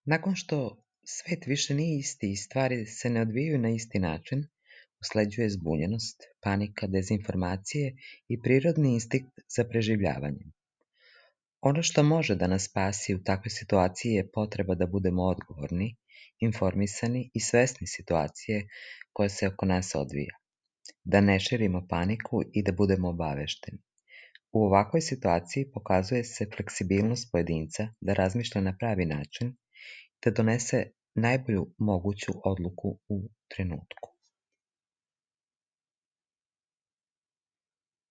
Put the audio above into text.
Nakon što svet više nije isti i stvari se ne odvijaju na isti način, usleđuje zbunjenost, panika, dezinformacije i prirodni instinkt za preživljavanjem. Ono što može da nas spasi u takvoj situaciji je potreba da budemo odgovorni, informisani i svesni situacije koja se oko nas odvija, da ne širimo paniku i da budemo obavešteni. U ovakvoj situaciji pokazuje se fleksibilnost pojedinca da razmišlja na pravi način, da donese najbolju moguću odluku u trenutku.